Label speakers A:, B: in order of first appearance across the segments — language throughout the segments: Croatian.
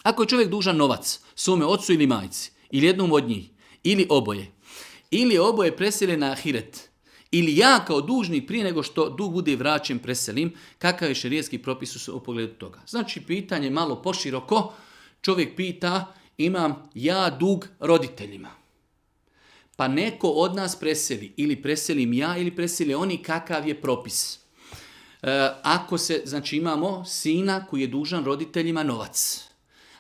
A: Ako je čovjek dužan novac svome ocu ili majci, ili jednom od njih, ili oboje presele na ahiret, ili ja kao dužnik prije nego što dug bude vraćen preselim, kakav je šerijski propis u pogledu toga. Znači, pitanje malo poširoko, čovjek pita, imam ja dug roditeljima. Pa neko od nas preseli, ili preselim ja, ili preseli oni, kakav je propis. Ako se, znači imamo sina koji je dužan roditeljima novac.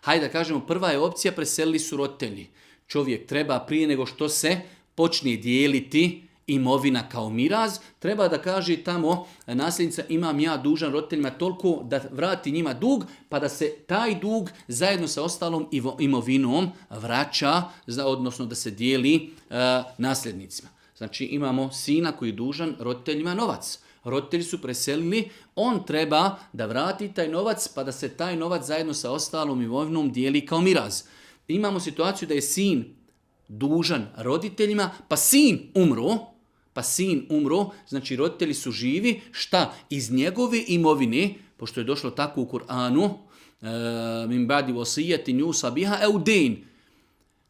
A: Hajde da kažemo, prva je opcija, preselili su roditelji. Čovjek treba prije nego što se počne dijeliti imovina kao miraz, treba da kaže tamo nasljednica, imam ja dužan roditeljima toliko da vrati njima dug, pa da se taj dug zajedno sa ostalom imovinom vraća, odnosno da se dijeli nasljednicima. Znači imamo sina koji je dužan roditeljima novac. Roditelji su preselili, on treba da vrati taj novac, pa da se taj novac zajedno sa ostalom imovinom dijeli kao miraz. Imamo situaciju da je sin dužan roditeljima, pa sin umro, znači roditelji su živi, šta? Iz njegove imovine, pošto je došlo tako u Kur'anu, min ba'di wasiyatin yusa biha aw dayn,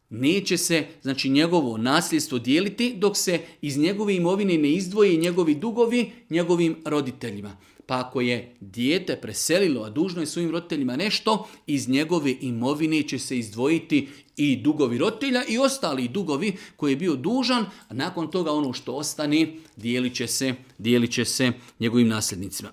A: neće se, znači, njegovo nasljedstvo dijeliti dok se iz njegove imovine ne izdvoje njegovi dugovi njegovim roditeljima. Pa ako je dijete preselilo, a dužno je svojim roditeljima nešto, iz njegove imovine će se izdvojiti i dugovi roditelja i ostali dugovi koji je bio dužan, a nakon toga ono što ostane dijelit će se njegovim nasljednicima.